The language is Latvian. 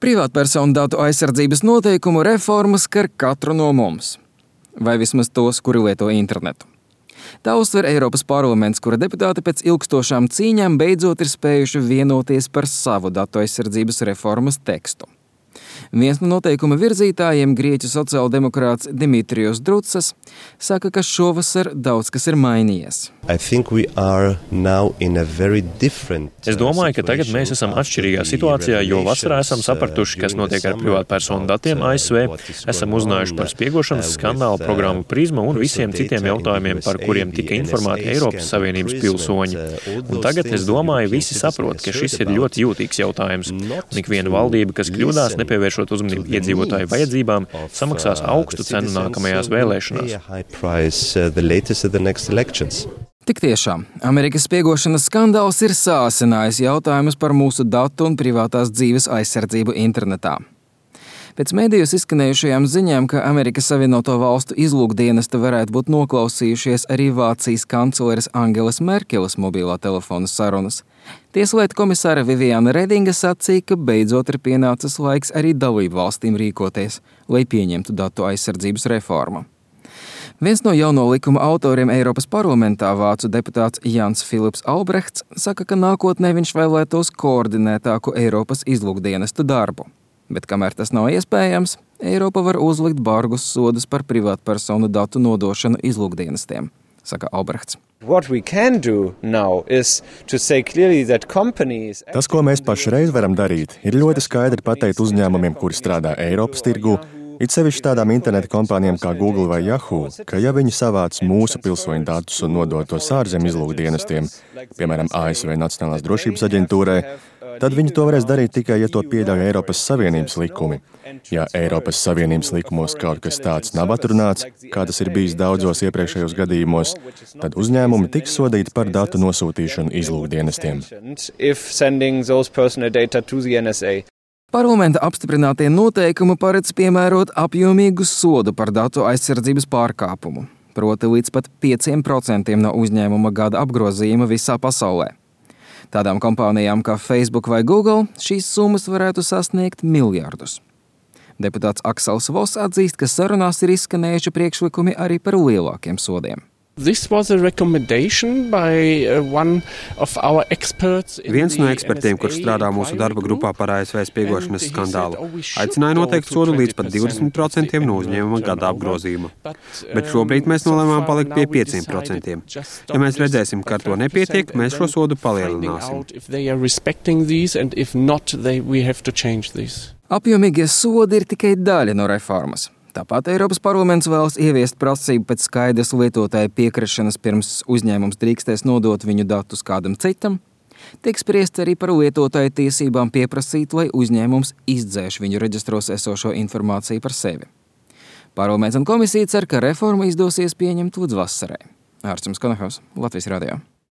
Privātpersonu datu aizsardzības noteikumu reforma skar katru no mums, vai vismaz tos, kuri lieto internetu. Tā uztver Eiropas parlaments, kura deputāti pēc ilgstošām cīņām beidzot ir spējuši vienoties par savu datu aizsardzības reformas tekstu. Viens no noteikuma virzītājiem, grieķu sociāldemokrāts Dimitrijos Drutsas, saka, ka šovasar daudz kas ir mainījies. Es domāju, ka tagad mēs esam atšķirīgā situācijā, jo vasarā esam sapratuši, kas notiek ar privātpersonu datiem ASV, esam uzzinājuši par spiegošanas skandālu programmu Prisma un visiem citiem jautājumiem, par kuriem tika informēti Eiropas Savienības pilsoņi. Un tagad, es domāju, visi saprot, ka šis ir ļoti jūtīgs jautājums, un ikviena valdība, kas kļūdās, nepievēršot uzmanību iedzīvotāju vajadzībām, samaksās augstu cenu nākamajās vēlēšanās. Tik tiešām, Amerikas spiegošanas skandāls ir sāsinājis jautājumus par mūsu datu un privātās dzīves aizsardzību internetā. Pēc mēdījos izskanējušajām ziņām, ka Amerikas Savienoto Valstu izlūkdienesti varētu būt noklausījušies arī Vācijas kancleres Angelas Merkeles mobilā telefona sarunas, Tieslietu komisāre Viviana Redinga sacīja, ka beidzot ir pienācis laiks arī dalību valstīm rīkoties, lai pieņemtu datu aizsardzības reformu. Viens no jauno likuma autoriem Eiropas parlamentā, vācu deputāts Jans Filips Albrechts, saka, ka nākotnē viņš vēlētos koordinētāku Eiropas izlūkdienestu darbu. Bet kamēr tas nav iespējams, Eiropa var uzlikt bargus sodus par privātpersonu datu nodošanu izlūkdienestiem, saka Albrechts. Tas, ko mēs pašreiz varam darīt, ir ļoti skaidri pateikt uzņēmumiem, kuri strādā Eiropas tirgū, it sevišķi tādām interneta kompānijām kā Google vai Yahoo, ka ja viņi savāc mūsu pilsoņu datus un nodod tos ārzemju izlūkdienestiem, piemēram, ASV Nacionālās drošības aģentūrai, tad viņi to varēs darīt tikai, ja to pieļauj Eiropas Savienības likumi. Ja Eiropas Savienības likumos kaut kas tāds nav atrunāts, kā tas ir bijis daudzos iepriekšējos gadījumos, tad uzņēmumi tiks sodīti par datu nosūtīšanu izlūkdienestiem. Parlamenta apstiprinātie noteikumi paredz piemērot apjomīgu sodu par datu aizsardzības pārkāpumu, proti līdz pat 5% no uzņēmuma gada apgrozījuma visā pasaulē. Tādām kompānijām kā Facebook vai Google šīs summas varētu sasniegt miljardus. Deputāts Aksels Voss atzīst, ka sarunās ir izskanējuši priekšlikumi arī par lielākiem sodiem. Viens no ekspertiem, kurš strādā mūsu darba grupā par ASV spiegošanas skandālu, aicināja noteikt sodu līdz pat 20% no uzņēmuma gada apgrozījuma. Bet šobrīd mēs nolēmām palikt pie 5%. Ja mēs redzēsim, ka ar to nepietiek, mēs šo sodu palielināsim. Apjomīgie sodi ir tikai daļa no reformas. Tāpat Eiropas parlaments vēlas ieviest prasību pēc skaidras lietotāja piekrišanas pirms uzņēmums drīkstēs nodot viņu datus kādam citam. Tiek spriests arī par lietotāja tiesībām pieprasīt, lai uzņēmums izdzēš viņu reģistros esošo informāciju par sevi. Parlaments un komisija cer, ka reforma izdosies pieņemt līdz vasarai. Ārsts Konahaus, Latvijas radio.